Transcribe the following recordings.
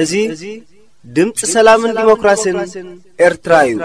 እዚ ድምፂ ሰላምን ዲሞክራሲን ኤርትራ እዩ።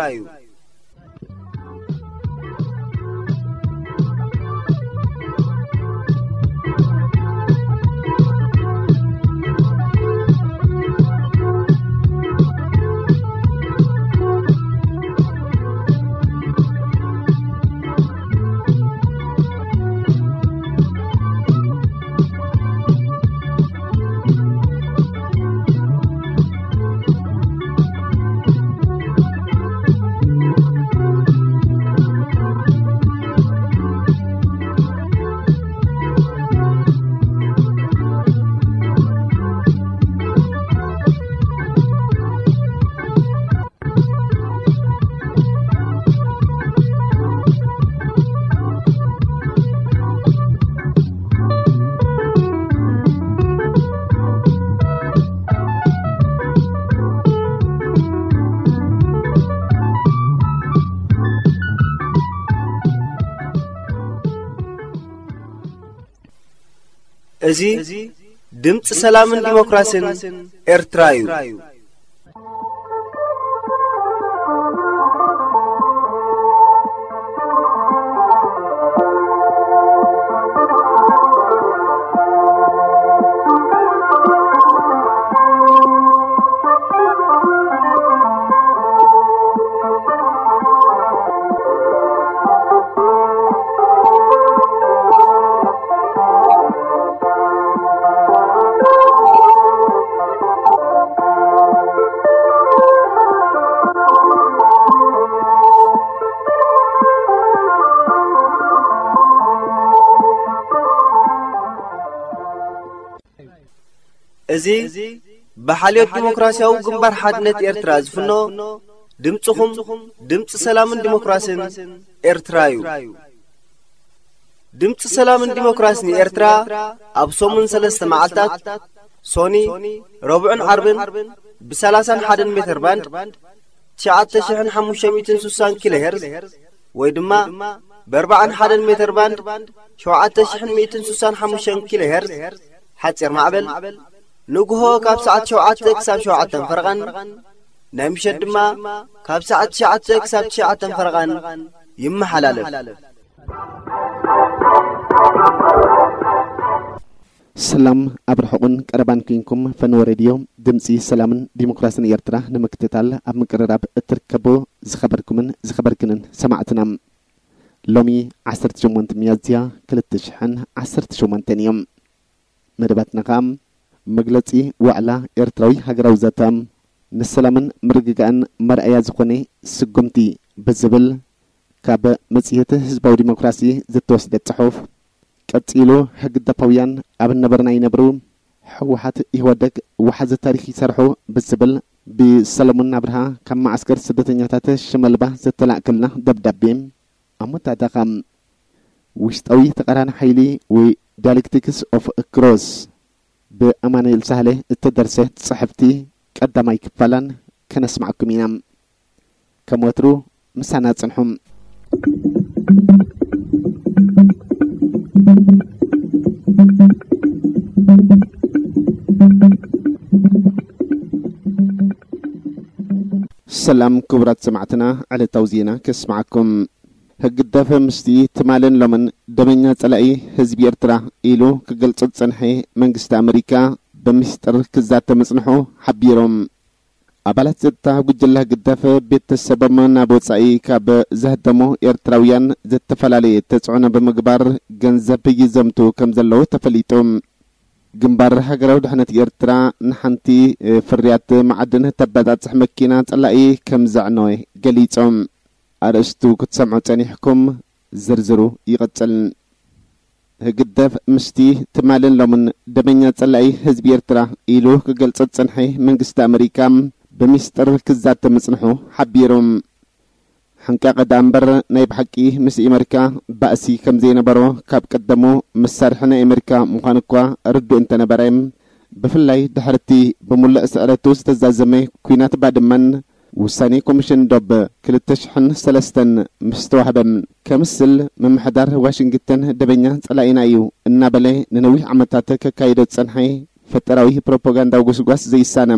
እዚ ድምፂ ሰላምን ዲሞክራሲን ኤርትራ እዩ። እዚ ብሓልዮት ዲሞክራሲያዊ ግንባር ሓድነት ኤርትራ ዝፍኖ ድምፅኹም ድምፂ ሰላምን ዲሞክራሲን ኤርትራ እዩ። ድምፂ ሰላምን ዲሞክራሲን ኤርትራ ኣብ ሰሙን ሰለስተ መዓልታት ሶኒ፣ ረቡዕን ዓርብን ብ ሰላሳን ሓደን ሜተር ባንድ ትሽዓተ ሽሕን ሓሙሽተ ሚእትን ስሳን ኪሎ ሄርዝ ወይ ድማ ብ ኣርባዓን ሓደን ሜተር ባንድ ሸውዓተ ሽሕን ሚእትን ስሳን ሓሙሽተን ኪሎ ሄርዝ ሓፂር ማዕበል ንግሆ ካብ ሰዓት ሸውዓተ ክሳብ ሸውዓተን ፈረቓን ናይ ምሸት ድማ ካብ ሰዓት ትሽዓተ ክሳብ ትሽዓተን ፈረቓን ይመሓላለፍ። ሰላም ኣብ ርሑቕን ቀረባን ኩንኩም ፈነወ ሬድዮ ድምፂ ሰላምን ዲሞክራሲን ኤርትራ ንምክትታል ኣብ ምቅርራብ እትርከቡ ዝኸበርኩምን ዝኸበርክንን ሰማዕትና፣ ሎሚ ዓሰርተ ሸሞንተ ሚያዝያ ክልተ ሽሕን ዓሰርተ ሸሞንተን እዮም። መደባትና ኸኣ መግለጺ ዋዕላ ኤርትራዊ ሃገራዊ ዘተ፣ ንሰላምን ምርግጋእን መርኣያ ዝኾነ ስጉምቲ ብዝብል ካብ መጽሔት ህዝባዊ ዲሞክራሲ ዝተወስደ ጽሑፍ፣ ቀጺሉ ህግደፋውያን ኣብ ነበርና ይነብሩ፣ ህወሓት ኢህወደግ ወሓዚ ታሪኽ ይሰርሑ ብዝብል ብሰለሙን ኣብርሃ ካብ መዓስከር ስደተኛታት ሽመልባ ዝተላእከልና ደብዳቤ ኣሞታተኻ። ውሽጣዊ ተቓራኒ ሓይሊ ወይ ዳያሌክቲክስ ኦፍ ክሮስ ብኣማኑኤል ሳህለ እተደርሰት ጽሕፍቲ ቀዳማይ ክፋላን ከነስምዓኩም ኢና። ከም ወትሩ ምሳና ጽንሑ። ሰላም ክቡራት ሰማዕትና፣ ዕለታዊ ዜና ከስምዓኩም። ህግደፍ ምስቲ ትማልን ሎምን ደመኛ ጸላኢ ህዝቢ ኤርትራ ኢሉ ክገልጾ ዝጸንሐ መንግስቲ ኣመሪካ ብሚስጥር ክዛተ ምጽንሑ ሓቢሮም። ኣባላት ጸጥታ ጉጅለ ህግደፍ ቤተሰቦም ናብ ወጻኢ ካብ ዘህደሙ ኤርትራውያን ዝተፈላለየ ተጽዕኖ ብምግባር ገንዘብ ይዘምቱ ከም ዘለዉ ተፈሊጡ። ግንባር ሃገራዊ ድሕነት ኤርትራ ንሓንቲ ፍርያት መዓድን ተበጻጽሕ መኪና ጸላኢ ከም ዘዕነወ ገሊጾም። ኣርእስቱ ክትሰምዑ ጸኒሕኩም፣ ዝርዝሩ ይቕጽል። ህግደፍ ምስቲ ትማልን ሎምን ደመኛ ጸላኢ ህዝቢ ኤርትራ ኢሉ ክገልጾ ዝጸንሐ መንግስቲ ኣመሪካ ብሚስጥር ክዛተ ምጽንሑ ሓቢሩ። ሕንቃቐ ደኣ እምበር ናይ ብሓቂ ምስ ኣመሪካ ባእሲ ከም ዘይነበሮ ካብ ቀደሙ መሳርሒ ናይ ኣመሪካ ምዃኑ እኳ ርዱእ እንተነበረ፣ ብፍላይ ድሕርቲ ብምሉእ ስዕረቱ ዝተዛዘመ ኲናት ባድመን ውሳኔ ኮሚሽን ዶብ ክልተ ሽሕን ሰለስተን ምስ ተዋህበ፣ ከምስል ምምሕዳር ዋሽንግተን ደበኛ ጸላኢና እዩ እናበለ ንነዊሕ ዓመታት ከካይዶ ዝጸንሐ ፈጠራዊ ፕሮፓጋንዳዊ ጎስጓስ ዘይሳነ፣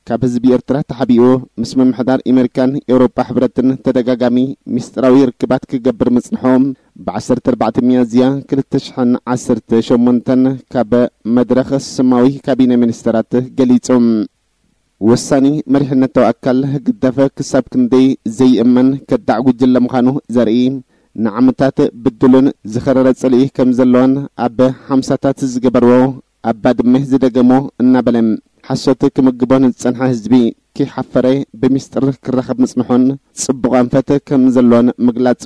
ካብ ህዝቢ ኤርትራ ተሓቢኡ ምስ ምምሕዳር ኣመሪካን ኤውሮጳ ሕብረትን ተደጋጋሚ ሚስጥራዊ ርክባት ክገብር ምጽንሖ፣ ብ ዓሰርተ ኣርባዕተ ሚያዝያ ክልተ ሽሕን ዓሰርተ ሸሞንተን ካብ መድረኽ ስማዊ ካቢነ ሚኒስተራት ገሊጹ። ወሳኒ መሪሕነታዊ ኣካል ህግደፍ ክሳብ ክንደይ ዘይእመን ከዳዕ ጉጅለ ምዃኑ ዘርኢ፣ ንዓመታት ብድሉን ዝኸረረ ጽልኢ ከም ዘለዎን ኣብ ሓምሳታት ዝገበርዎ ኣብ ባድመ ዝደገሞ እናበለ፣ ሓሶት ክምግቦ ንዝጸንሐ ህዝቢ ከይሓፈረ ብሚስጥር ክራኸብ ምጽንሑን ጽቡቕ ኣንፈት ከም ዘለዎን ምግላጹ፣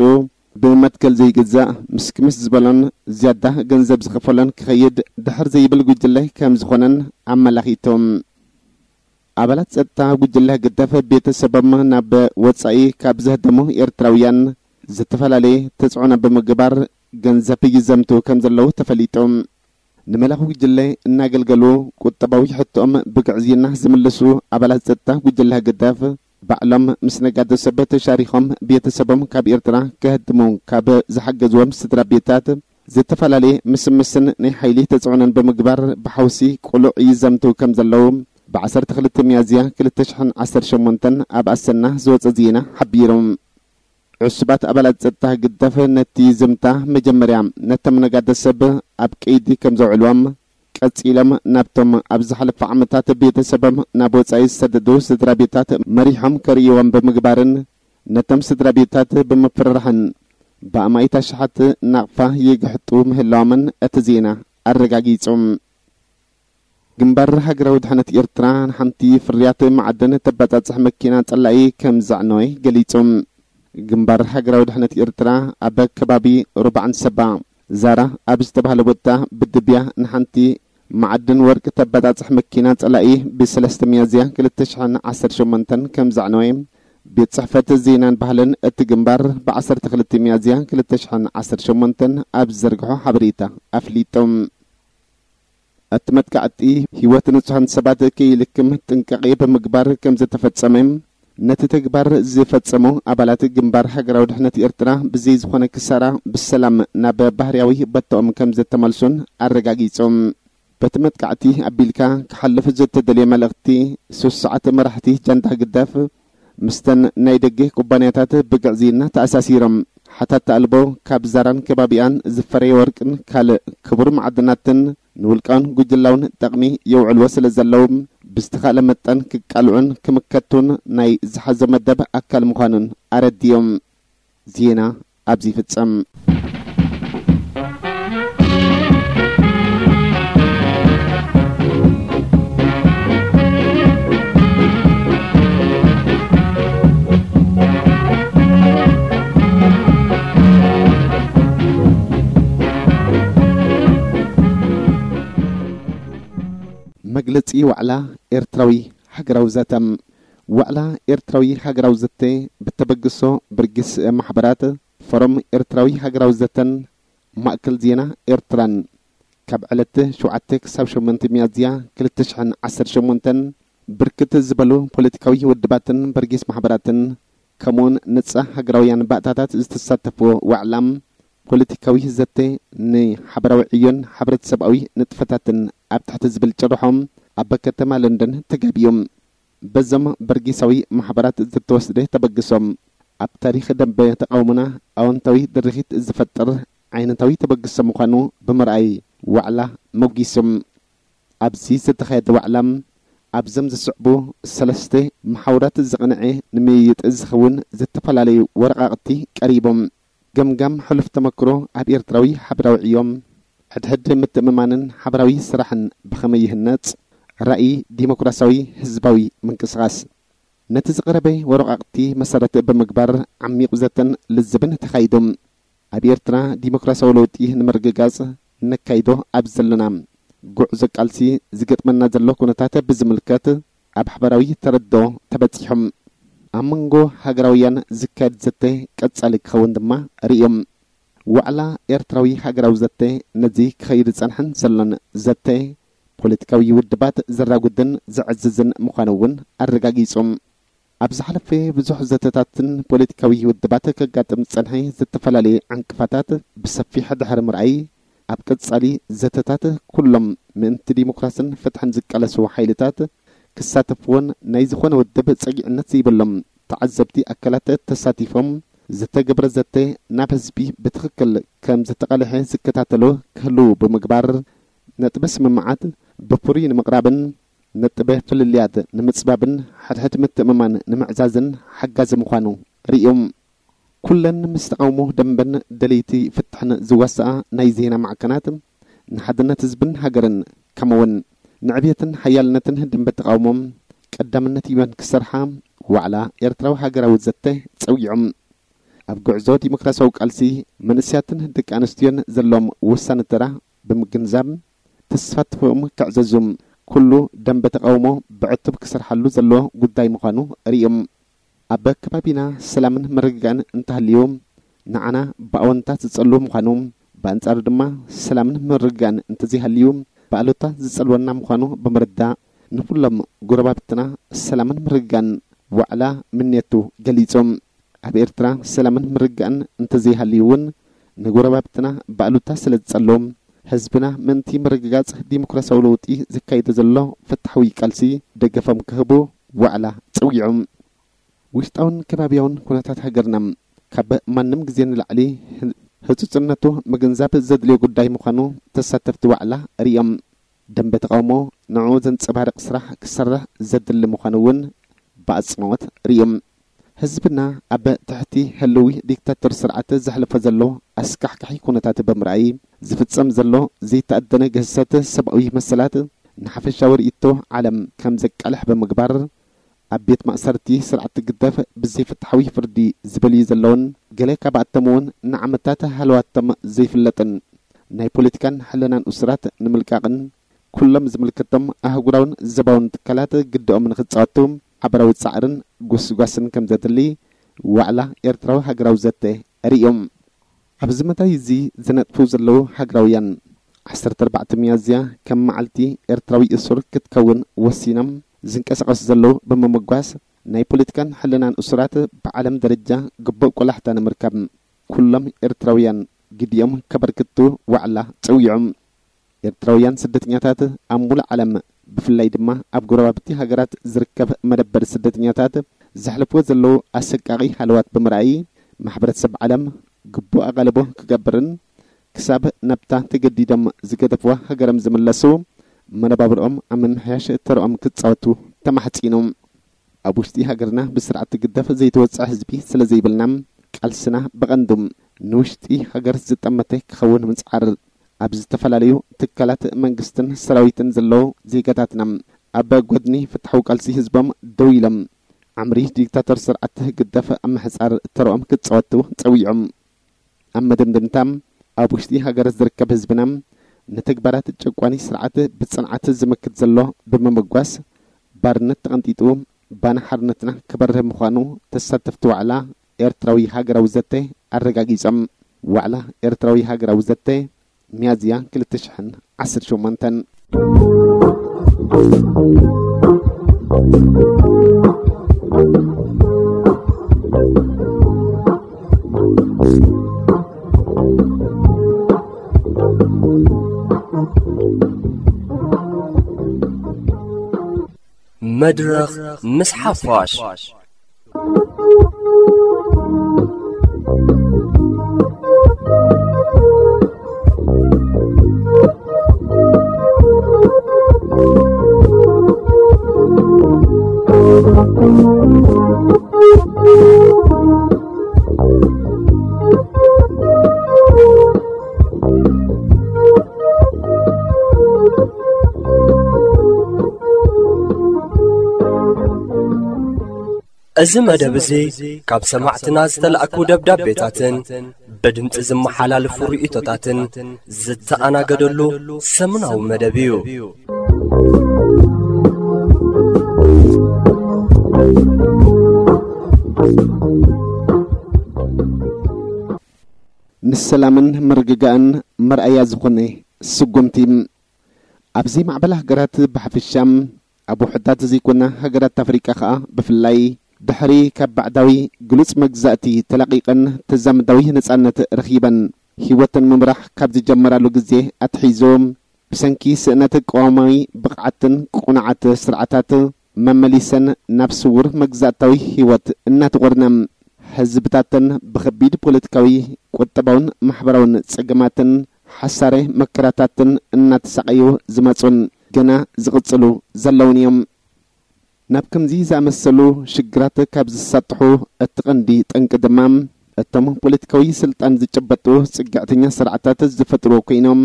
ብመትከል ዘይግዛእ ምስክምስ ዝበሎን ዝያዳ ገንዘብ ዝኸፈሎን ክኸይድ ድሕር ዘይብል ጉጅለ ከም ዝኾነን ኣመላኺቶም። ኣባላት ጸጥታ ጉጅለ ህግደፍ ቤተሰቦም ናብ ወጻኢ ካብ ዘህደሙ ኤርትራውያን ዝተፈላለየ ተጽዕኖ ብምግባር ገንዘብ ይዘምቱ ከም ዘለዉ ተፈሊጡ። ንመላኺ ጉጅለ እናገልገሉ ቁጠባዊ ሕቶኦም ብግዕዝይና ዝምልሱ ኣባላት ጸጥታ ጉጅለ ህግደፍ ባዕሎም ምስ ነጋዶ ሰብ ተሻሪኾም ቤተሰቦም ካብ ኤርትራ ከህድሙ ካብ ዝሓገዝዎም ስድራ ቤታት ዝተፈላለየ ምስምስን ናይ ሓይሊ ተጽዕኖን ብምግባር ብሓውሲ ቁሉዕ ይዘምቱ ከም ዘለዉ ብ ዓሰርተ ክልተ ሚያዝያ ክልተ ሽሕን ዓሰርተ ሸሞንተን ኣብ ኣሰና ዝወጸ ዜና ሓቢሩ። ዕሱባት ኣባላት ጸጥታ ህግደፍ ነቲ ዝምታ መጀመርያ ነቶም ነጋዶ ሰብ ኣብ ቀይዲ ከም ዘውዕልዎም፣ ቀጺሎም ናብቶም ኣብ ዝሓለፈ ዓመታት ቤተሰቦም ናብ ወጻኢ ዝሰደዱ ስድራ ቤታት መሪሖም ከርእይዎም ብምግባርን ነቶም ስድራ ቤታት ብምፍርራሕን ብኣማኢት ኣሽሓት ናቕፋ ይግሕጡ ምህላዎምን እቲ ዜና ኣረጋጊጹ። ግንባር ሃገራዊ ድሕነት ኤርትራ ንሓንቲ ፍርያት መዓድን ተበጻጽሕ መኪና ጸላኢ ከም ዘዕነወ ገሊጹ። ግንባር ሃገራዊ ድሕነት ኤርትራ ኣብ ከባቢ ሩባዕን ሰባ ዛራ ኣብ ዝተባህለ ቦታ ብድብያ ንሓንቲ መዓድን ወርቂ ተበጻጽሕ መኪና ጸላኢ ብ ሰለስተ ሚያዝያ ክልተ ሽሕን ዓሰርተ ሸሞንተን ከም ዘዕነወ ቤት ጽሕፈት ዜናን ባህልን እቲ ግንባር ብ ዓሰርተ ክልተ ሚያዝያ ክልተ ሽሕን ዓሰርተ ሸሞንተን ኣብ ዝዘርግሖ ሓበሬታ ኣፍሊጡ። እቲ መጥቃዕቲ ህይወት ንጹሃን ሰባት ከይልክም ጥንቃቄ ብምግባር ከም ዝተፈጸመ፣ ነቲ ተግባር ዝፈጸሙ ኣባላት ግንባር ሃገራዊ ድሕነት ኤርትራ ብዘይ ዝኾነ ክሳራ ብሰላም ናብ ባህርያዊ ቦታኦም ከም ዝተመልሱን ኣረጋጊጾም። በቲ መጥቃዕቲ ኣቢልካ ክሓልፍ ዝተደልየ መልእኽቲ፣ ሶስት ሰዓት መራሕቲ ጃንዳ ህግደፍ ምስተን ናይ ደገ ኩባንያታት ብግዕዝይና ተኣሳሲሮም፣ ሓታቲ ኣልቦ ካብ ዛራን ከባቢኣን ዝፈረየ ወርቅን ካልእ ክቡር መዓድናትን ንውልቃውን ጉጅላውን ጠቕሚ የውዕልዎ ስለ ዘለዉ፣ ብዝተኻእለ መጠን ክቃልዑን ክምከቱን ናይ ዝሓዞ መደብ ኣካል ምዃኑን ኣረዲኦም። ዜና ኣብዚ ይፍጸም። መግለጺ ዋዕላ ኤርትራዊ ሃገራዊ ዘተ። ዋዕላ ኤርትራዊ ሃገራዊ ዘተ ብተበግሶ ብርግስ ማሕበራት፣ ፎረም ኤርትራዊ ሃገራዊ ዘተን ማእከል ዜና ኤርትራን ካብ ዕለት ሸውዓተ ክሳብ ሸሞንተ ሚያዝያ ክልተ ሽሕን ዓሰርተ ሸሞንተን ብርክት ዝበሉ ፖለቲካዊ ውድባትን በርጌስ ማሕበራትን ከምኡውን ነጻ ሃገራውያን ባእታታት ዝተሳተፍዎ ዋዕላ ፖለቲካዊ ዘተ ንሓበራዊ ዕዮን ሕብረተሰባዊ ንጥፈታትን ኣብ ትሕቲ ዝብል ጭርሖ ኣብ ከተማ ለንደን ተጋቢዮም። በዞም በርጌሳዊ ማሕበራት ዝተወስደ ተበግሶ ኣብ ታሪኽ ደንበ ተቓውሞና ኣወንታዊ ድርኺት ዝፈጥር ዓይነታዊ ተበግሶ ምዃኑ ብምርኣይ ዋዕላ መጒሶም። ኣብዚ ዝተኻየደ ዋዕላ ኣብዞም ዝስዕቡ ሰለስተ መሓውራት ዝቕንዐ ንምይይጥ ዝኸውን ዝተፈላለዩ ወረቓቕቲ ቀሪቦም። ገምጋም ሕሉፍ ተመክሮ ኣብ ኤርትራዊ ሓበራዊ ዕዮም፣ ሕድሕድ ምትእምማንን ሓበራዊ ስራሕን ብኸመይ ይህነጽ፣ ራእይ ዲሞክራሲያዊ ህዝባዊ ምንቅስቓስ። ነቲ ዝቐረበ ወረቓቕቲ መሰረት ብምግባር ዓሚቕ ዘተን ልዝብን ተኻይዱ። ኣብ ኤርትራ ዲሞክራሲያዊ ለውጢ ንምርግጋጽ ነካይዶ ኣብ ዘለና ጉዕዞ ቃልሲ ዝገጥመና ዘሎ ኩነታት ብዝምልከት ኣብ ሓበራዊ ተረድኦ ተበጺሖም። ኣብ መንጎ ሃገራውያን ዝካየድ ዘተ ቀጻሊ ክኸውን ድማ ርእዮም። ዋዕላ ኤርትራዊ ሃገራዊ ዘተ ነዚ ክኸይድ ዝጸንሐን ዘሎን ዘተ ፖለቲካዊ ውድባት ዘራጉድን ዘዕዝዝን ምዃኑ እውን ኣረጋጊጹ። ኣብ ዝሓለፈ ብዙሕ ዘተታትን ፖለቲካዊ ውድባት ከጋጥም ዝጸንሐ ዝተፈላለየ ዕንቅፋታት ብሰፊሕ ድሕሪ ምርኣይ፣ ኣብ ቀጻሊ ዘተታት ኩሎም ምእንቲ ዲሞክራስን ፍትሕን ዝቃለሱ ሓይልታት ክሳተፍዎን ናይ ዝኾነ ውድብ ጸጊዕነት ዘይብሎም ተዓዘብቲ ኣካላት ተሳቲፎም ዝተገብረ ዘተ ናብ ህዝቢ ብትኽክል ከም ዝተቓልሐ ዝከታተሉ ክህልዉ ብምግባር፣ ነጥበ ስምምዓት ብፍሩይ ንምቕራብን ነጥበ ፍልልያት ንምጽባብን ሕድሕድ ምትእምማን ንምዕዛዝን ሓጋዚ ምዃኑ ርእዮም። ኩለን ምስ ተቓውሞ ደንበን ደለይቲ ፍትሕን ዝዋስኣ ናይ ዜና ማዕከናት ንሓድነት ህዝብን ሃገርን ከምኡውን ንዕብየትን ሓያልነትን ደንበ ተቓውሞ ቀዳምነት ሂበን ክሰርሓ ዋዕላ ኤርትራዊ ሃገራዊ ዘተ ጸዊዖም። ኣብ ጉዕዞ ዲሞክራሲያዊ ቃልሲ መንእሰያትን ደቂ ኣንስትዮን ዘለዎም ወሳኒ ተራ ብምግንዛብ ተሳትፎኦም ከዕዘዙ ኩሉ ደንበ ተቓውሞ ብዕቱብ ክሰርሓሉ ዘለዎ ጉዳይ ምዃኑ ርእዮም። ኣብ ከባቢና ሰላምን ምርግጋእን እንተሃልዩ ንዓና ብኣወንታ ዝጸሉ ምዃኑ፣ ብኣንጻሩ ድማ ሰላምን ምርግጋእን እንተዘይሃልዩ ብኣሉታ ዝጸልወና ምዃኑ ብምርዳእ ንኹሎም ጎረባብትና ሰላምን ምርግጋእን ዋዕላ ምንየቱ ገሊጹ። ኣብ ኤርትራ ሰላምን ምርግጋእን እንተዘይሃልዩ እውን ንጎረባብትና ብኣሉታ ስለ ዝጸሎም ህዝብና ምእንቲ ምርግጋጽ ዲሞክራሲያዊ ለውጢ ዘካይዶ ዘሎ ፍትሓዊ ቃልሲ ደገፎም ክህቡ ዋዕላ ጸዊዖም። ውሽጣውን ከባቢያውን ኩነታት ሃገርና ካብ ማንም ግዜ ንላዕሊ ህጹጽነቱ ምግንዛብ ዘድልዮ ጉዳይ ምዃኑ ተሳተፍቲ ዋዕላ ርእዮም። ደንበ ተቓውሞ ንዕኡ ዘንጸባርቕ ስራሕ ክሰርሕ ዘድሊ ምዃኑ እውን ብኣጽንኦት ርእዮም። ህዝብና ኣብ ትሕቲ ህልዊ ዲክታቶር ስርዓት ዘሕልፎ ዘሎ ኣስካሕካሒ ኩነታት ብምርኣይ ዝፍጸም ዘሎ ዘይተኣደነ ግህሰት ሰብኣዊ መሰላት ንሓፈሻዊ ርእይቶ ዓለም ከም ዘቃልሕ ብምግባር ኣብ ቤት ማእሰርቲ ስርዓት ግደፍ ብዘይፍትሓዊ ፍርዲ ዝበልዩ ዘለውን ገለ ካብኣቶም እውን ንዓመታት ሃለዋቶም ዘይፍለጥን ናይ ፖለቲካን ሕልናን እሱራት ንምልቃቕን ኩሎም ዝምልከቶም ኣህጉራውን ዘባውን ትካላት ግድኦም ንክጻወቱ ሓበራዊ ጻዕርን ጉስጓስን ከም ዘድሊ ዋዕላ ኤርትራዊ ሃገራዊ ዘተ ርእዮም። ኣብዚ መዳይ እዚ ዝነጥፉ ዘለዉ ሃገራውያን ዓሰርተ ኣርባዕተ ሚያዝያ ከም መዓልቲ ኤርትራዊ እሱር ክትከውን ወሲኖም ዝንቀሳቐሱ ዘለዉ ብምምጓስ ናይ ፖለቲካን ሕልናን እሱራት ብዓለም ደረጃ ግቡእ ቆላሕታ ንምርካብ ኩሎም ኤርትራውያን ግዲኦም ከበርክቱ ዋዕላ ጸዊዖም። ኤርትራውያን ስደተኛታት ኣብ ሙሉእ ዓለም ብፍላይ ድማ ኣብ ጎረባብቲ ሃገራት ዝርከብ መደበር ስደተኛታት ዘሕልፍዎ ዘለዉ ኣሰቃቒ ሃለዋት ብምርኣይ ማሕበረተሰብ ዓለም ግቡእ ኣቓልቦ ክገብርን ክሳብ ናብታ ተገዲዶም ዝገደፍዋ ሃገሮም ዝምለሱ መነባብርኦም ኣብ ምምሕያሽ ተርኦም ክጻወቱ ተማሕጺኑ። ኣብ ውሽጢ ሃገርና ብስርዓት ግደፍ ዘይተወጽዐ ህዝቢ ስለ ዘይብልና ቃልስና ብቐንዱ ንውሽጢ ሃገር ዝጠመተ ክኸውን ምጽዓር ኣብ ዝተፈላለዩ ትካላት መንግስትን ሰራዊትን ዘለዉ ዜጋታትና ኣብ ጎድኒ ፍትሓዊ ቃልሲ ህዝቦም ደው ኢሎም ዓምሪ ዲክታቶር ስርዓት ግደፍ ኣብ ምሕጻር ተርኦም ክጻወቱ ጸዊዖም። ኣብ መደምደምታ ኣብ ውሽጢ ሃገር ዝርከብ ህዝብና ንተግባራት ጨቋኒ ስርዓት ብጽንዓት ዝመክት ዘሎ ብምምጓስ ባርነት ተቐንጢጡ ባና ሓርነትና ክበርህ ምዃኑ ተሳተፍቲ ዋዕላ ኤርትራዊ ሃገራዊ ዘተ ኣረጋጊጾም። ዋዕላ ኤርትራዊ ሃገራዊ ዘተ ሚያዝያ ክልተ ሽሕን ዓሰርተ ሸሞንተን። መድረኽ ምስ ሓፋሽ። እዚ መደብ እዚ ካብ ሰማዕትና ዝተላእኩ ደብዳቤታትን ብድምጺ ዝመሓላለፉ ርእይቶታትን ዝተኣናገደሉ ሰሙናዊ መደብ እዩ። ንሰላምን ምርግጋእን መርኣያ ዝኾነ ስጉምቲ። ኣብ ዘይማዕበላ ሃገራት ብሓፈሻ፣ ኣብ ውሑዳት ዘይኮና ሃገራት ኣፍሪቃ ከኣ ብፍላይ፣ ድሕሪ ካብ ባዕዳዊ ግሉጽ መግዛእቲ ተላቒቐን ተዛምዳዊ ነጻነት ረኺበን፣ ህይወተን ምምራሕ ካብ ዝጀመራሉ ግዜ ኣትሒዙ፣ ብሰንኪ ስእነት ቅዋማዊ ብቕዓትን ቅኑዓት ስርዓታት፣ መመሊሰን ናብ ስዉር መግዛእታዊ ህይወት እናተቖርና፣ ህዝብታተን ብኸቢድ ፖለቲካዊ፣ ቁጠባውን ማሕበራውን ጸገማትን ሓሳረ መከራታትን እናተሳቐዩ ዝመጹን ገና ዝቕጽሉ ዘለውን እዮም። ናብ ከምዚ ዝኣመሰሉ ሽግራት ካብ ዝሳጥሑ እቲ ቀንዲ ጠንቂ ድማ፣ እቶም ፖለቲካዊ ስልጣን ዝጨበጡ ጽግዕተኛ ስርዓታት ዝፈጥርዎ ኮይኖም፣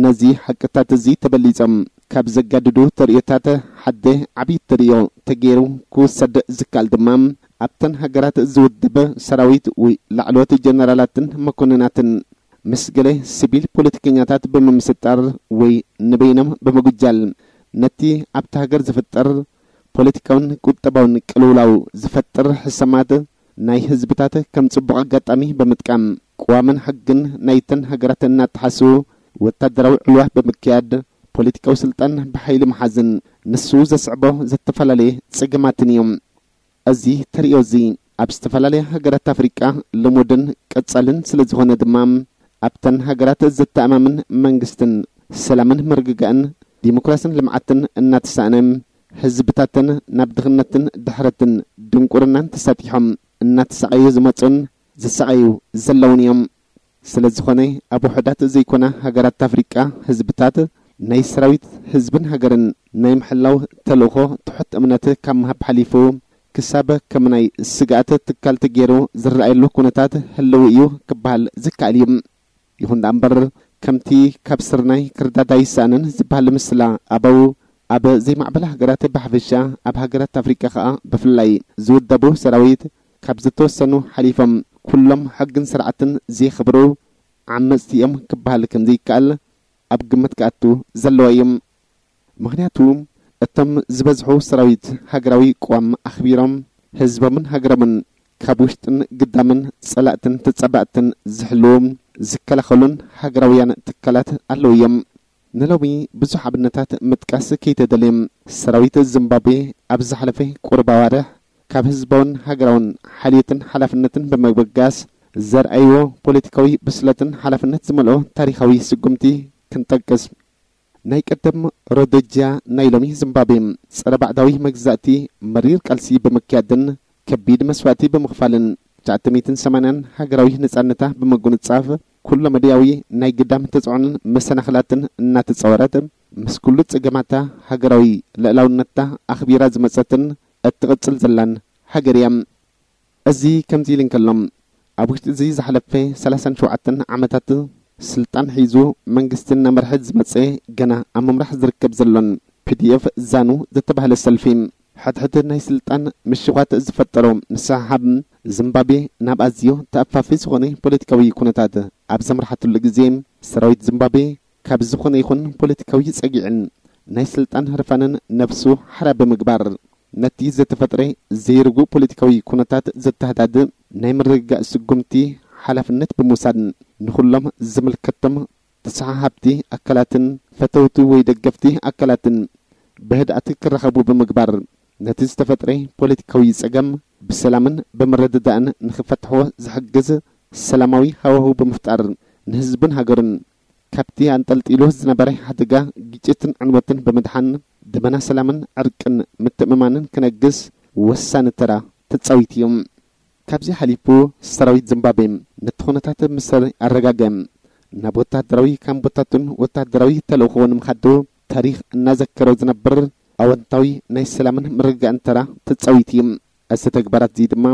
ነዚ ሓቅታት እዚ ተበሊጾም ካብ ዘጋድዱ ተርእዮታት ሓደ ዓቢ ተርእዮ ተገይሩ ክውሰድ ዝከኣል ድማ፣ ኣብተን ሃገራት ዝውድብ ሰራዊት ወይ ላዕለዎት ጀነራላትን መኮንናትን ምስ ገለ ሲቪል ፖለቲከኛታት ብምምስጣር ወይ ንበይኖም ብምጉጃል፣ ነቲ ኣብታ ሃገር ዝፍጠር ፖለቲካውን ቁጠባውን ቅልውላው ዝፈጥር ሕሰማት ናይ ህዝብታት ከም ጽቡቕ ኣጋጣሚ ብምጥቃም፣ ቅዋምን ሕግን ናይተን ሃገራት እናጠሓሱ ወታደራዊ ዕልዋ ብምክያድ፣ ፖለቲካዊ ስልጣን ብሓይሊ ምሓዝን ንሱ ዘስዕቦ ዝተፈላለየ ጸገማትን እዮም። እዚ ተርእዮ እዚ ኣብ ዝተፈላለያ ሃገራት ኣፍሪቃ ልሙድን ቀጻልን ስለ ዝኾነ ድማ፣ ኣብተን ሃገራት ዘተኣማምን መንግስትን ሰላምን ምርግጋእን ዲሞክራስን ልምዓትን እናተሳእነ፣ ህዝብታተን ናብ ድኽነትን ድሕረትን ድንቁርናን ተሳጢሖም እናተሳቐዩ ዝመጹን ዝሳቐዩ ዘለውን እዮም። ስለ ዝኾነ፣ ኣብ ውሑዳት ዘይኮና ሃገራት ኣፍሪቃ ህዝብታት ናይ ሰራዊት፣ ህዝብን ሃገርን ናይ ምሕላው ተልእኾ ትሑት እምነት ካብ ምሃብ ሓሊፉ፣ ክሳብ ከም ናይ ስግኣት ትካል ተገይሩ ዝረኣየሉ ኩነታት ህልው እዩ ክበሃል ዝከኣል እዩ። ይኹን ደኣ እምበር፣ ከምቲ ካብ ስርናይ ክርዳዳ ይሰኣንን ዝበሃል ምስላ ኣበው፣ ኣብ ዘይማዕበላ ሃገራት ብሓፈሻ፣ ኣብ ሃገራት ኣፍሪቃ ኸኣ ብፍላይ ዝውደቡ ሰራዊት ካብ ዝተወሰኑ ሓሊፎም ኩሎም ሕግን ስርዓትን ዘየኽብሩ ዓመጽቲ እዮም ክበሃል ከም ዘይከኣል ኣብ ግምት ክኣቱ ዘለዎ እዩ። ምኽንያቱ፣ እቶም ዝበዝሑ ሰራዊት ሃገራዊ ቅዋም ኣኽቢሮም፣ ህዝቦምን ሃገሮምን ካብ ውሽጥን ግዳምን ጸላእትን ተጻባእትን ዝሕልዉ፣ ዝከላኸሉን ሃገራውያን ትካላት ኣለዉ እዮም። ንሎሚ ብዙሕ ኣብነታት ምጥቃስ ከይተደልየ፣ ሰራዊት ዚምባብዌ ኣብ ዝሓለፈ ቁሩብ ኣዋርሕ ካብ ህዝባውን ሃገራውን ሓልዮትን ሓላፍነትን ብምብጋስ ዘርኣይዎ ፖለቲካዊ ብስለትን ሓላፍነት ዝመልኦ ታሪኻዊ ስጉምቲ ክንጠቅስ። ናይ ቀደም ሮዶጅያ፣ ናይ ሎሚ ዚምባብዌ፣ ጸረ ባዕዳዊ መግዛእቲ መሪር ቃልሲ ብምክያድን ከቢድ መስዋእቲ ብምኽፋልን፣ ትሽዓተ ሚእትን ሰማንያን ሃገራዊ ነጻነታ ብምጉንጻፍ፣ ኩለ መዳያዊ ናይ ግዳም ተጽዕኖን መሰናኽላትን እናተጻወረት፣ ምስ ኩሉ ጸገማታ ሃገራዊ ልዕላውነታ ኣኽቢራ ዝመጸትን እትቕጽል ዘላን ሃገር እያ። እዚ ከምዚ ኢሉ እንከሎ፣ ኣብ ውሽጢ እዚ ዝሓለፈ ሰላሳን ሸውዓተን ዓመታት ስልጣን ሒዙ መንግስቲ እናመርሐ ዝመጸ፣ ገና ኣብ ምምራሕ ዝርከብ ዘሎን ፒ ዲ ኤፍ ዛኑ ዝተባህለ ሰልፊ፣ ሕድሕድ ናይ ስልጣን ምሽዃት ዝፈጠሮ ምስሕሓብ፣ ዚምባብዌ ናብ ኣዝዩ ተኣፋፊ ዝኾነ ፖለቲካዊ ኩነታት ኣብ ዘምርሓትሉ ግዜ፣ ሰራዊት ዚምባብዌ ካብ ዝኾነ ይኹን ፖለቲካዊ ጸግዒን ናይ ስልጣን ህርፋንን ነብሱ ሓራ ብምግባር፣ ነቲ ዝተፈጥረ ዘይርጉእ ፖለቲካዊ ኩነታት ዘተሃዳድእ ናይ ምርግጋእ ስጉምቲ ሓላፍነት ብምውሳድ፣ ንኹሎም ዝምልከቶም ተሰሓሓብቲ ኣካላትን ፈተውቲ ወይ ደገፍቲ ኣካላትን ብህድኣት ክራኸቡ ብምግባር፣ ነቲ ዝተፈጥረ ፖለቲካዊ ጸገም ብሰላምን ብምርድዳእን ንኽፈትሕዎ ዝሕግዝ ሰላማዊ ሃዋህው ብምፍጣር፣ ንህዝብን ሃገርን ካብቲ ኣንጠልጢሉ ዝነበረ ሓደጋ ግጭትን ዕንወትን ብምድሓን፣ ደበና ሰላምን ዕርቅን ምትእምማንን ክነግስ ወሳኒ ተራ ተጻዊቱ እዩ። ካብዚ ሓሊፉ፣ ሰራዊት ዚምባብዌ ነቲ ኩነታት ምስ ኣረጋግአ፣ ናብ ወተሃደራዊ ካምቦታቱን ወተሃደራዊ ተልእኾ ንምኻድ ታሪኽ እናዘከሮ ዝነብር ኣወንታዊ ናይ ሰላምን ምርግጋእን ተራ ተጻዊቱ እዩ። እዚ ተግባራት እዚ ድማ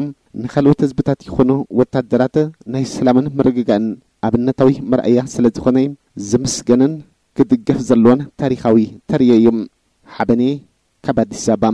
ንኻልኦት ህዝብታት ይኹኑ ወተሃደራት ናይ ሰላምን ምርግጋእን ኣብነታዊ መርኣያ ስለ ዝኾነ፣ ዝምስገንን ክድገፍ ዘለዎን ታሪኻዊ ተርእዮ እዩ። ሓበኔ ካብ ኣዲስ ኣበባ።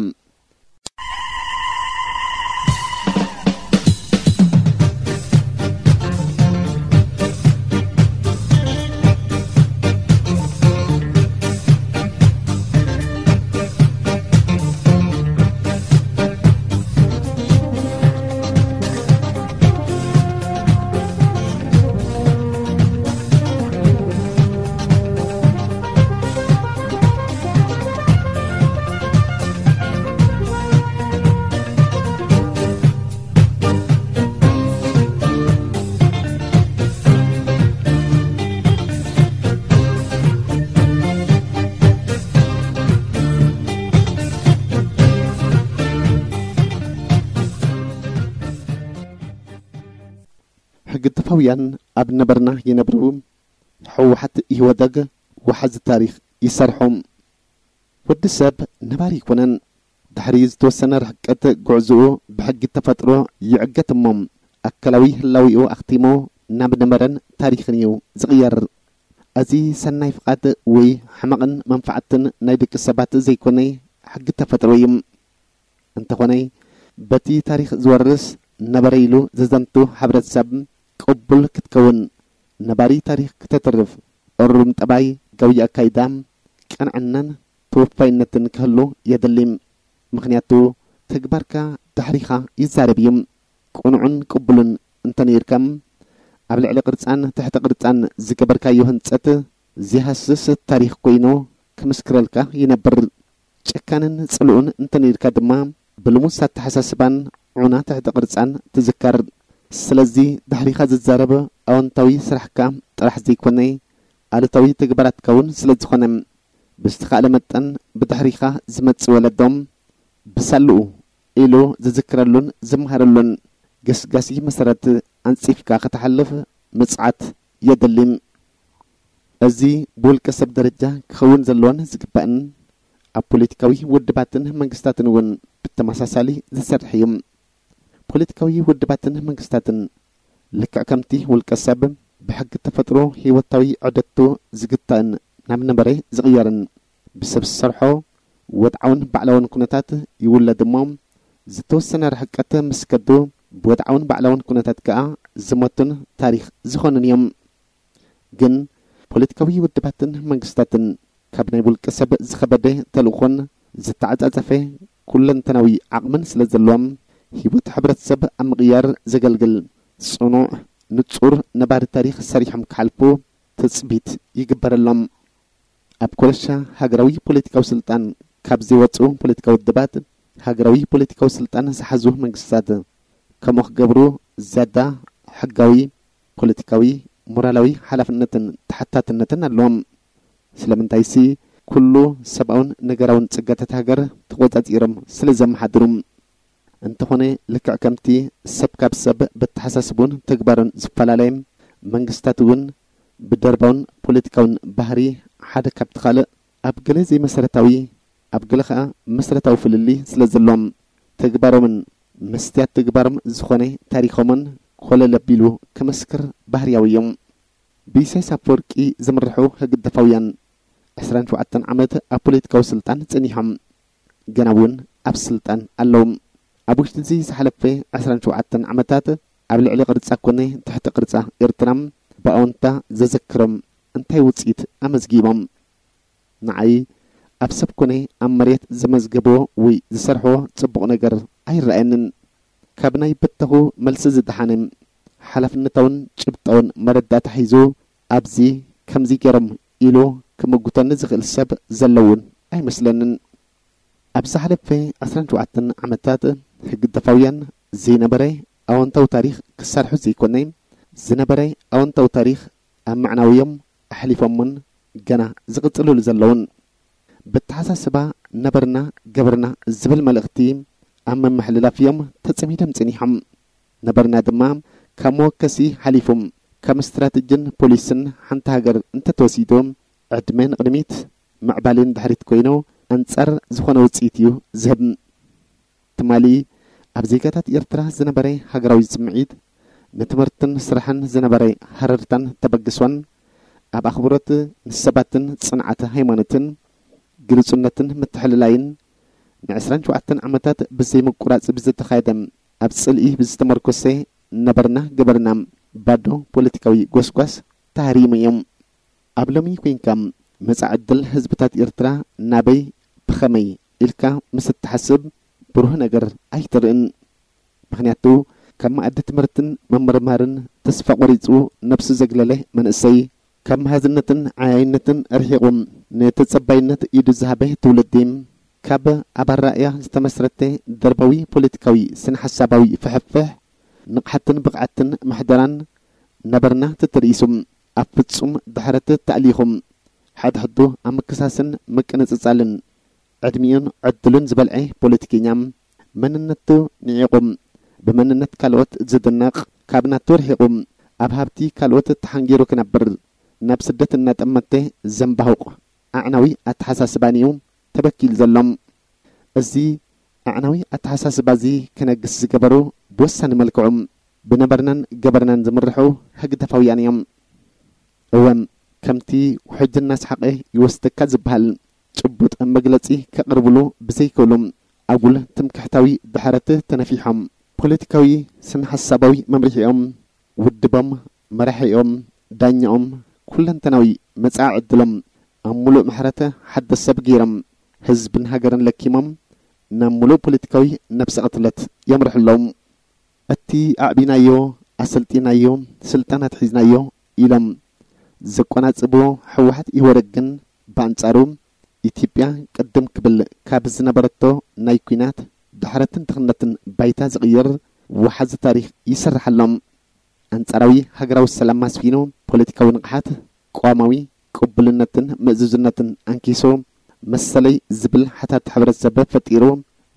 ግድፋውያን ኣብ ነበርና ይነብሩ። ህወሓት ኢህወደግ ወሓዚ ታሪኽ ይሰርሑ። ወዲ ሰብ ነባሪ ኣይኮነን። ድሕሪ ዝተወሰነ ርሕቀት ጉዕዞኡ ብሕጊ ተፈጥሮ ይዕገት እሞ፣ ኣካላዊ ህላዊኡ ኣኽቲሙ ናብ ነበረን ታሪኽን እዩ ዝቕየር። እዚ ሰናይ ፍቓድ ወይ ሕመቕን መንፋዕትን ናይ ደቂ ሰባት ዘይኮነ፣ ሕጊ ተፈጥሮ እዩ። እንተኾነ፣ በቲ ታሪኽ ዝወርስ ነበረ ኢሉ ዘዘንቱ ሕብረተሰብ ቅቡል ክትከውን፣ ነባሪ ታሪኽ ክተትርፍ፣ እሩም ጠባይ፣ ገዊ ኣካይዳ፣ ቅንዕናን ተወፋይነትን ክህሉ የድሊ። ምኽንያቱ፣ ተግባርካ ድሕሪኻ ይዛረብ እዩ። ቅኑዕን ቅቡልን እንተነይርካ፣ ኣብ ልዕሊ ቅርጻን ትሕቲ ቅርጻን ዝገበርካዮ ህንጸት ዘይሃስስ ታሪኽ ኮይኑ ክምስክረልካ ይነብር። ጨካንን ጽልኡን እንተነይርካ ድማ፣ ብልሙስ ኣተሓሳስባን ዑና ትሕቲ ቅርጻን ትዝከር። ስለዚ፣ ድሕሪኻ ዝዛረብ ኣወንታዊ ስራሕካ ጥራሕ ዘይኮነ፣ ኣሉታዊ ተግባራትካ እውን ስለ ዝኾነ፣ ብዝተኻእለ መጠን ብድሕሪኻ ዝመጽእ ወለዶም ብሳልኡ ኢሉ ዝዝክረሉን ዝመሃረሉን ገስጋሲ መሰረት ኣንጺፍካ ከተሓልፍ ምጽዓት የድሊ። እዚ ብውልቀ ሰብ ደረጃ ክኸውን ዘለዎን ዝግባእን፣ ኣብ ፖለቲካዊ ውድባትን መንግስታትን እውን ብተመሳሳሊ ዝሰርሕ እዩ። ፖለቲካዊ ውድባትን መንግስታትን፣ ልክዕ ከምቲ ውልቀ ሰብ፣ ብሕጊ ተፈጥሮ ህይወታዊ ዑደቱ ዝግታእን ናብ ነበረ ዝቕየርን፣ ብሰብ ዝሰርሖ ወድዓውን ባዕላውን ኩነታት ይውለድ እሞ፣ ዝተወሰነ ርሕቀት ምስ ከዱ፣ ብወድዓውን ባዕላውን ኩነታት ከኣ ዝሞቱን ታሪኽ ዝኾኑን እዮም። ግን ፖለቲካዊ ውድባትን መንግስታትን፣ ካብ ናይ ውልቀ ሰብ ዝኸበደ ተልእኾን ዝተዓጻጸፈ ኩለንተናዊ ዓቕምን ስለ ዘለዎም፣ ህይወት ሕብረተሰብ ኣብ ምቕያር ዘገልግል ጽኑዕ፣ ንጹር፣ ነባሪ ታሪኽ ሰሪሖም ክሓልፉ ትጽቢት ይግበረሎም። ኣብ ኮረሻ ሃገራዊ ፖለቲካዊ ስልጣን ካብ ዘይወጹ ፖለቲካዊ ውድባት፣ ሃገራዊ ፖለቲካዊ ስልጣን ዝሓዙ መንግስታት ከምኡ ክገብሩ ዝያዳ ሕጋዊ፣ ፖለቲካዊ፣ ሞራላዊ ሓላፍነትን ተሓታትነትን ኣለዎም። ስለምንታይሲ፣ ኩሉ ሰብኣውን ነገራውን ጸጋታት ሃገር ተቖጻጺሮም ስለ ዘመሓድሩ። እንተኾነ፣ ልክዕ ከምቲ ሰብ ካብ ሰብ በተሓሳስቡን ተግባሩን ዝፈላለየ፣ መንግስታት እውን ብደርባውን ፖለቲካውን ባህሪ ሓደ ካብቲ ካልእ ኣብ ገለ ዘይመሰረታዊ፣ ኣብ ገለ ኸኣ መሰረታዊ ፍልልይ ስለ ዘሎም፣ ተግባሮምን መስትያት ተግባሮም ዝኾነ ታሪኾምን ኮለል ኣቢሉ ክምስክር ባህርያዊ እዩ። ብኢሳያስ ኣፈወርቂ ዝምርሑ ህግደፋውያን ዕስራን ሸውዓተን ዓመት ኣብ ፖለቲካዊ ስልጣን ጸኒሖም፣ ገና እውን ኣብ ስልጣን ኣለዉ። ኣብ ውሽጢ እዚ ዝሓለፈ ዕስራን ሸውዓተን ዓመታት ኣብ ልዕሊ ቅርጻ ኮነ ትሕቲ ቅርጻ ኤርትራ ብኣወንታ ዘዘክሮም እንታይ ውጽኢት ኣመዝጊቦም? ንዓይ ኣብ ሰብ ኮነ ኣብ መሬት ዘመዝገቦ ወይ ዝሰርሖ ጽቡቕ ነገር ኣይረኣየንን። ካብ ናይ በተኹ መልሲ ዝደሓነ ሓላፍነታውን ጭብጣውን መረዳእታ ሒዙ ኣብዚ ከምዚ ገይሮም ኢሉ ክምጉተኒ ዝኽእል ሰብ ዘሎ እውን ኣይመስለንን። ኣብ ዝሓለፈ ዕስራን ሸውዓተን ዓመታት ህግደፋውያን ዘይነበረ ኣወንታዊ ታሪኽ ክሰርሑ ዘይኮነ፣ ዝነበረ ኣወንታዊ ታሪኽ ኣብ ምዕናውዮም ኣሕሊፎምን ገና ዝቕጽልሉ ዘለውን። በተሓሳስባ ነበርና ገበርና ዝብል መልእኽቲ ኣብ ምምሕልላፍ እዮም ተጸሚዶም ጸኒሖም። ነበርና ድማ ካብ መወከሲ ሓሊፉ፣ ከም ስትራተጅን ፖሊስን ሓንቲ ሃገር እንተተወሲዱ፣ ዕድመ ንቕድሚት ምዕባለ ንድሕሪት ኮይኑ ኣንጻር ዝኾነ ውጽኢት እዩ ዝህብ። ትማሊ ኣብ ዜጋታት ኤርትራ ዝነበረ ሃገራዊ ስምዒት፣ ንትምህርትን ስራሕን ዝነበረ ሃረርታን ተበግሶን፣ ኣብ ኣኽብሮት ንሰባትን ጽንዓት ሃይማኖትን፣ ግሉጽነትን ምትሕልላይን፣ ንዕስራን ሸውዓተን ዓመታት ብዘይ ምቁራጽ ብዝተኻየደ፣ ኣብ ጽልኢ ብዝተመርኮሰ ነበርና ገበርና ባዶ ፖለቲካዊ ጎስጓስ ተሃሪሙ እዩ። ኣብ ሎሚ ኮይንካ መጻኢ ዕድል ህዝብታት ኤርትራ ናበይ ብኸመይ ኢልካ ምስ እትሓስብ ብሩህ ነገር ኣይትርእን። ምኽንያቱ ካብ መኣዲ ትምህርትን ምምርማርን ተስፋ ቆሪጹ ነብሱ ዘግለለ መንእሰይ፣ ካብ መሃዝነትን ዓያይነትን ርሒቑ ንተጸባይነት ኢዱ ዝሃበ ትውልዲ፣ ካብ ኣብ ኣራእያ ዝተመስረተ ደርባዊ ፖለቲካዊ ስነ-ሓሳባዊ ፍሕፍሕ፣ ንቕሓትን ብቕዓትን ምሕደራን ነበርና ተተርኢሱ፣ ኣብ ፍጹም ድሕረት ተኣሊኹ፣ ሓድሕዱ ኣብ ምክሳስን ምቅንጽጻልን ዕድሚኡን ዕድሉን ዝበልዐ ፖለቲከኛ፣ መንነቱ ንዒቑ፣ ብመንነት ካልኦት ዝድነቕ፣ ካብ ናቱ ርሒቑ፣ ኣብ ሃብቲ ካልኦት ተሓንጊሩ ክነብር፣ ናብ ስደት እናጠመተ ዘንባሁቕ ኣዕናዊ ኣተሓሳስባን እዩ ተበኪሉ ዘሎ። እዚ ኣዕናዊ ኣተሓሳስባ እዚ ክነግስ ዝገበሩ ብወሳኒ መልክዑ ብነበርናን ገበርናን ዝምርሑ ህግደፋውያን እዮም። እወ፣ ከምቲ ውሕጅ እናሰሓቐ ይወስደካ ዝበሃል ጭቡጥ መግለጺ ከቕርብሉ ብዘይክእሉ፣ ኣጉል ትምክሕታዊ ድሕረት ተነፊሖም፣ ፖለቲካዊ ስነ-ሓሳባዊ መምርሒኦም፣ ውድቦም፣ መራሒኦም፣ ዳኛኦም፣ ኩለንተናዊ መጻኢ ዕድሎም ኣብ ሙሉእ ምሕረት ሓደስ ሰብ ገይሮም፣ ህዝብን ሃገርን ለኪሞም፣ ናብ ሙሉእ ፖለቲካዊ ነብሰ ቅትለት የምርሑ ኣለዉ። እቲ ኣዕቢናዮ፣ ኣሰልጢናዮ፣ ስልጣን ኣትሒዝናዮ ኢሎም ዘቆናጽብዎ ህወሓት ኢህወደግ ግን ብኣንጻሩ ኢትዮጵያ ቅድም ክብል ካብ ዝነበረቶ ናይ ኲናት ድሕረትን ድኽነትን ባይታ ዝቕይር ወሓዚ ታሪኽ ይሰርሕ ኣሎ። ኣንጻራዊ ሃገራዊ ሰላም ኣስፊኑ፣ ፖለቲካዊ ንቕሓት፣ ቅዋማዊ ቅቡልነትን ምእዙዝነትን ኣንኪሱ፣ መሰለይ ዝብል ሓታቲ ሕብረተሰብ ፈጢሩ፣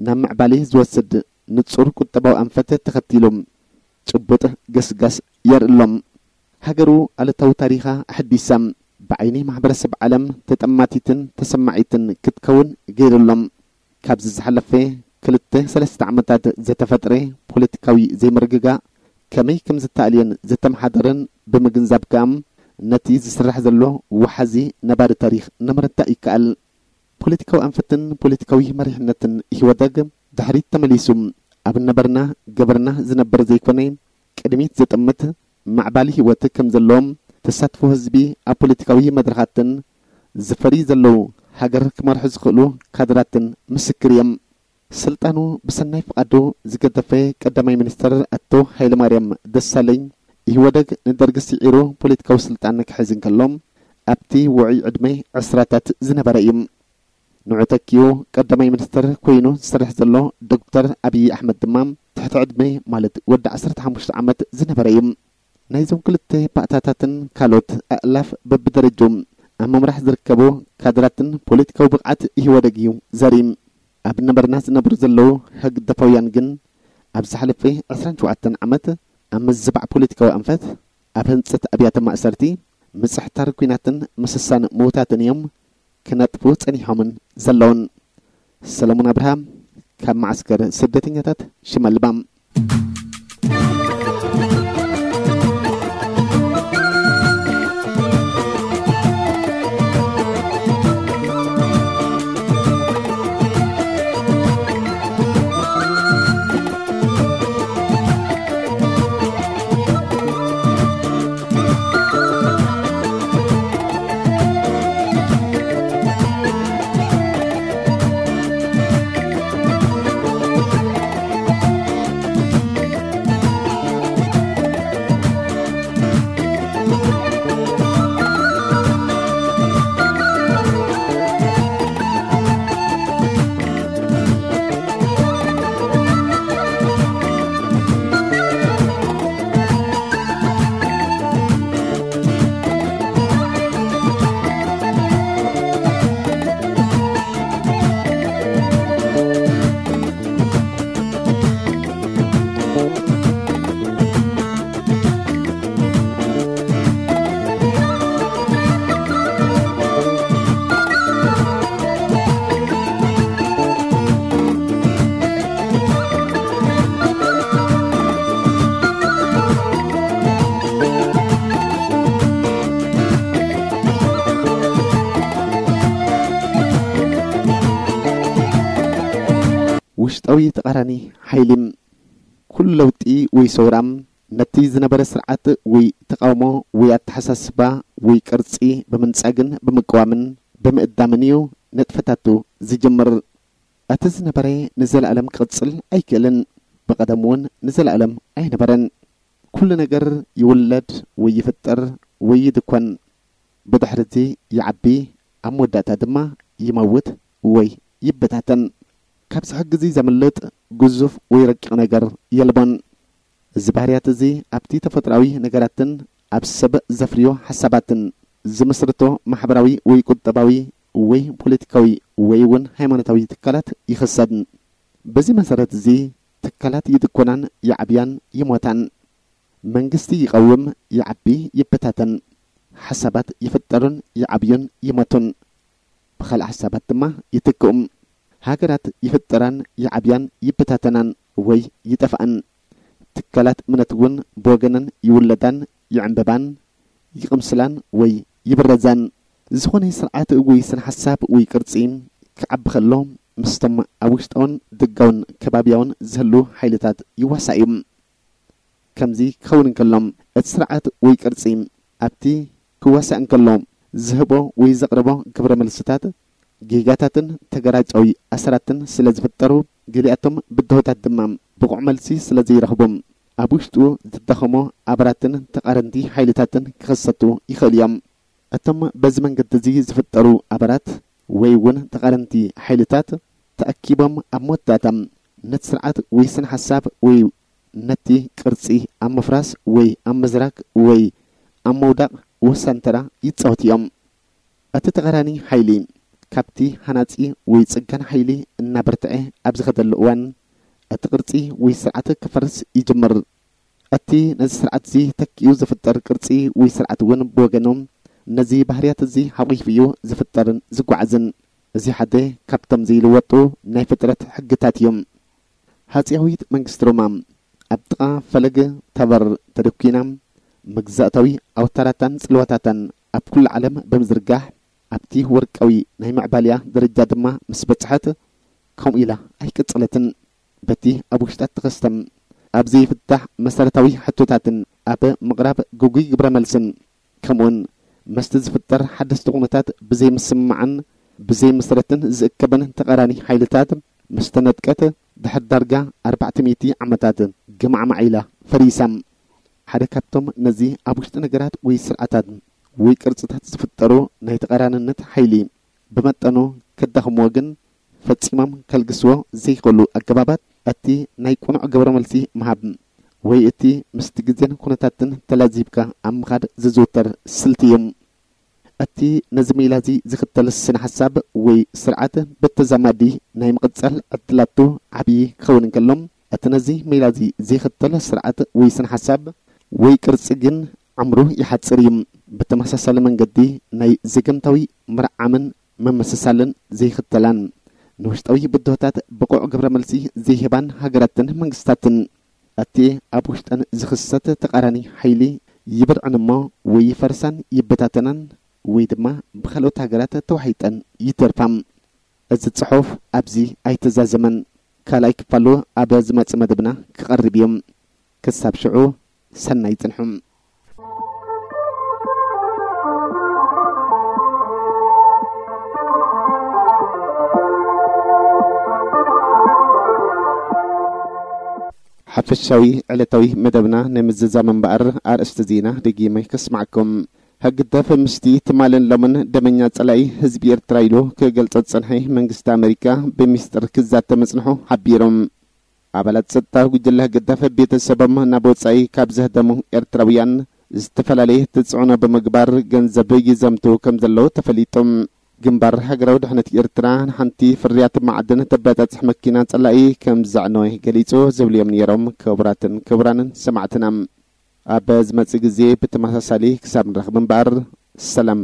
ናብ ምዕባሌ ዝወስድ ንጹር ቁጠባዊ ኣንፈት ተኸቲሉ፣ ጭቡጥ ገስጋስ የርኢ ኣሎ። ሃገሩ ኣሉታዊ ታሪኻ ኣሐዲሳ፣ ብዓይኒ ማሕበረሰብ ዓለም ተጠማቲትን ተሰማዒትን ክትከውን ገይሩ ኣሎ። ካብዚ ዝሓለፈ ክልተ ሰለስተ ዓመታት ዝተፈጥረ ፖለቲካዊ ዘይምርግጋእ ከመይ ከም ዝተኣልየን ዝተመሓደረን ብምግንዛብ ከኣ፣ ነቲ ዝስራሕ ዘሎ ወሓዚ ነባሪ ታሪኽ ንምርዳእ ይከኣል። ፖለቲካዊ ኣንፈትን ፖለቲካዊ መሪሕነትን ኢህወደግ ድሕሪት ተመሊሱ ኣብ ነበርና ገበርና ዝነበር ዘይኮነ፣ ቅድሚት ዝጥምት ማዕባሊ ህይወት ከም ዘለዎም፣ ተሳትፎ ህዝቢ ኣብ ፖለቲካዊ መድረኻትን ዝፈርዩ ዘለዉ ሃገር ክመርሑ ዝኽእሉ ካድራትን ምስክር እዮም። ስልጣኑ ብሰናይ ፍቓዱ ዝገደፈ ቀዳማይ ሚኒስትር ኣቶ ሃይለማርያም ደሳለኝ፣ ኢህወደግ ንደርጊ ስዒሩ ፖለቲካዊ ስልጣን ክሕዝ እንከሎ፣ ኣብቲ ውዑይ ዕድመ ዕስራታት ዝነበረ እዩ። ንዑ ተኪኡ ቀዳማይ ሚኒስትር ኮይኑ ዝሰርሕ ዘሎ ዶክተር ኣብይ ኣሕመድ ድማ ትሕቲ ዕድመ፣ ማለት ወዲ ዓሰርተ ሓሙሽተ ዓመት ዝነበረ እዩ። ናይዞም ክልተ ባእታታትን ካልኦት ኣእላፍ በብደረጅኡ ኣብ ምምራሕ ዝርከቡ ካድራትን ፖለቲካዊ ብቕዓት ኢህወደግ እዩ ዘርኢ። ኣብ ነበርና ዝነብሩ ዘለዉ ህግደፋውያን ግን ኣብ ዝሓለፈ ዕስራን ሸውዓተን ዓመት ኣብ ምዝባዕ ፖለቲካዊ ኣንፈት፣ ኣብ ህንጸት ኣብያተ ማእሰርቲ፣ ምጽሕታር ኲናትን ምስሳን ምዉታትን እዮም ክነጥፉ ጸኒሖምን ዘለዉን። ሰለሙን ኣብርሃ ካብ መዓስከር ስደተኛታት ሽመልባ። ውሽጣዊ ተቓራኒ ሓይሊ። ኩሉ ለውጢ ወይ ሰውራ፣ ነቲ ዝነበረ ስርዓት ወይ ተቓውሞ ወይ ኣተሓሳስባ ወይ ቅርጺ ብምንጻግን ብምቅዋምን ብምእዳምን እዩ ንጥፈታቱ ዝጅምር። እቲ ዝነበረ ንዘለኣለም ክቕጽል ኣይክእልን፣ ብቐደም እውን ንዘለኣለም ኣይነበረን። ኩሉ ነገር ይውለድ ወይ ይፍጠር ወይ ይድኮን። ብድሕሪ እዚ ይዓቢ፣ ኣብ መወዳእታ ድማ ይመውት ወይ ይበታተን። ካብዚ ሕጊ እዚ ዘምልጥ ግዙፍ ወይ ረቂቕ ነገር የልቦን። እዚ ባህርያት እዚ ኣብቲ ተፈጥሮኣዊ ነገራትን ኣብ ሰብ ዘፍርዮ ሓሳባትን ዝምስርቶ ማሕበራዊ ወይ ቁጠባዊ ወይ ፖለቲካዊ ወይ እውን ሃይማኖታዊ ትካላት ይኽሰድ። በዚ መሰረት እዚ ትካላት ይድኮናን ይዓብያን ይሞታን። መንግስቲ ይቐውም፣ ይዓቢ፣ ይበታተን። ሓሳባት ይፍጠሩን ይዓብዩን ይሞቱን። ብኻልእ ሓሳባት ድማ ይትክኡም። ሃገራት ይፍጠራን ይዓብያን ይበታተናን ወይ ይጠፍኣን። ትካላት እምነት እውን ብወገነን ይውለዳን ይዕንበባን ይቕምስላን ወይ ይብረዛን። ዝኾነ ስርዓት ወይ ስነ ሓሳብ ወይ ቅርጺ ክዓቢ ከሎ ምስቶም ኣብ ውሽጣውን ደጋውን ከባቢያውን ዝህሉ ሓይልታት ይዋሳእ እዩ። ከምዚ ክኸውን እንከሎ እቲ ስርዓት ወይ ቅርጺ ኣብቲ ክዋሳእ እንከሎ ዝህቦ ወይ ዘቕርቦ ግብረ መልስታት ጌጋታትን ተገራጫዊ ኣሰራትን ስለ ዝፍጠሩ፣ ገሊኣቶም ብድሆታት ድማ ብቑዕ መልሲ ስለ ዘይረኽቡ፣ ኣብ ውሽጡ ዝዳኸሙ ኣባላትን ተቓረንቲ ሓይልታትን ክኽሰቱ ይኽእሉ እዮም። እቶም በዚ መንገዲ እዚ ዝፍጠሩ ኣባላት ወይ እውን ተቓረንቲ ሓይልታት ተኣኪቦም ኣብ መወዳእታ ነቲ ስርዓት ወይ ስነ ሓሳብ ወይ ነቲ ቅርጺ ኣብ ምፍራስ ወይ ኣብ ምዝራግ ወይ ኣብ ምውዳቕ ወሳኒ ተራ ይጻወቱ እዮም። እቲ ተቓራኒ ሓይሊ ካብቲ ሃናጺ ወይ ጽገና ሓይሊ እናበርትዐ ኣብ ዝኸደሉ እዋን፣ እቲ ቅርጺ ወይ ስርዓት ክፈርስ ይጅምር። እቲ ነዚ ስርዓት እዚ ተኪኡ ዝፍጠር ቅርጺ ወይ ስርዓት እውን ብወገኑ ነዚ ባህርያት እዚ ሓቒፉ እዩ ዝፍጠርን ዝጓዓዝን። እዚ ሓደ ካብቶም ዘይልወጡ ናይ ፍጥረት ሕግታት እዩ። ሃጺያዊት መንግስቲ ሮማ ኣብ ጥቓ ፈለግ ታበር ተደኲና፣ መግዛእታዊ ኣውታራታን ጽልዋታታን ኣብ ኩሉ ዓለም ብምዝርጋሕ፣ ኣብቲ ወርቃዊ ናይ ምዕባልያ ደረጃ ድማ ምስ በጽሐት፣ ከምኡ ኢላ ኣይቀጸለትን። በቲ ኣብ ውሽጣ እተኸስተ ኣብ ዘይፍታሕ መሰረታዊ ሕቶታትን ኣብ ምቕራብ ግጉይ ግብረ መልስን፣ ከምኡውን ምስቲ ዝፍጠር ሓደስቲ ኩነታት ብዘይምስምማዕን ብዘይምስረትን ዝእከበን ተቓራኒ ሓይልታት ምስ ተነጥቀት፣ ድሕሪ ዳርጋ ኣርባዕተ ሚእቲ ዓመታት ግማዕማዕ ኢላ ፈሪሳ። ሓደ ካብቶም ነዚ ኣብ ውሽጢ ነገራት ወይ ስርዓታት ወይ ቅርጽታት ዝፍጠሩ ናይ ተቓራንነት ሓይሊ ብመጠኑ ከዳኽምዎ ግን ፈጺሞም ከልግስዎ ዘይኽእሉ ኣገባባት፣ እቲ ናይ ቅኑዕ ግብረ መልሲ ምሃብ ወይ እቲ ምስቲ ግዜን ኩነታትን ተላዚብካ ኣብ ምኻድ ዝዝውተር ስልቲ እዩ። እቲ ነዚ ሜላ እዚ ዝኽተል ስነ ሓሳብ ወይ ስርዓት ብተዛማዲ ናይ ምቕጻል ዕድላቱ ዓብዪ ክኸውን እንከሎ፣ እቲ ነዚ ሜላ እዚ ዘይኽተል ስርዓት ወይ ስነ ሓሳብ ወይ ቅርጺ ግን ዕምሩ ይሓጽር እዩ። ብተመሳሳሊ መንገዲ ናይ ዘገምታዊ ምርዓምን ምምስሳልን ዘይኽተላን ንውሽጣዊ ብድሆታት ብቑዕ ግብረ መልሲ ዘይህባን ሃገራትን መንግስታትን፣ እቲ ኣብ ውሽጠን ዝኽሰት ተቓራኒ ሓይሊ ይብርዕን እሞ ወይ ይፈርሳን ይበታተናን ወይ ድማ ብኻልኦት ሃገራት ተዋሒጠን ይተርፋ። እዚ ጽሑፍ ኣብዚ ኣይተዛዘመን። ካልኣይ ክፋሉ ኣብ ዝመጽእ መደብና ክቐርብ እዩ። ክሳብ ሽዑ ሰናይ ጽንሑ። ሓፈሻዊ ዕለታዊ መደብና ንምዝዛም እምበኣር ኣርእስቲ ዜና ደጊመ ከስማዕኩም። ህግደፍ ምስቲ ትማልን ሎምን ደመኛ ጸላኢ ህዝቢ ኤርትራ ኢሉ ክገልጾ ዝጸንሐ መንግስቲ ኣመሪካ ብሚስጥር ክዛተ ምጽንሑ ሓቢሮም። ኣባላት ጸጥታ ጉጅለ ህግደፍ ቤተሰቦም ናብ ወጻኢ ካብ ዘህደሙ ኤርትራውያን ዝተፈላለየ ተጽዕኖ ብምግባር ገንዘብ ይዘምቱ ከም ዘለዉ ተፈሊጡ። ግንባር ሃገራዊ ድሕነት ኤርትራ ንሓንቲ ፍርያት ማዕድን ተበጻጽሕ መኪና ጸላኢ ከም ዘዕነወ ገሊጹ ዝብሉ እዮም ነይሮም። ክቡራትን ክቡራንን ሰማዕትና፣ ኣብ ዝመጽእ ግዜ ብተመሳሳሊ ክሳብ ንረኽብ እምበኣር፣ ሰላም።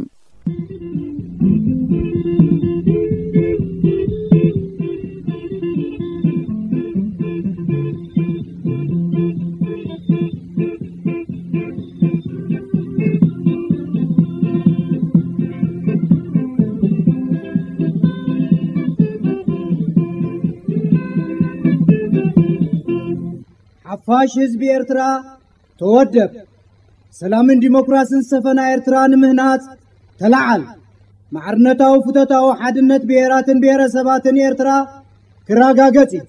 ሓፋሽ ህዝቢ ኤርትራ፣ ተወደብ። ሰላምን ዲሞክራስን ዝሰፈና ኤርትራ ንምህናጽ ተለዓል። ማዕርነታዊ ፍቶታዊ ሓድነት ብሄራትን ብሄረሰባትን ኤርትራ ክረጋገጽ እዩ።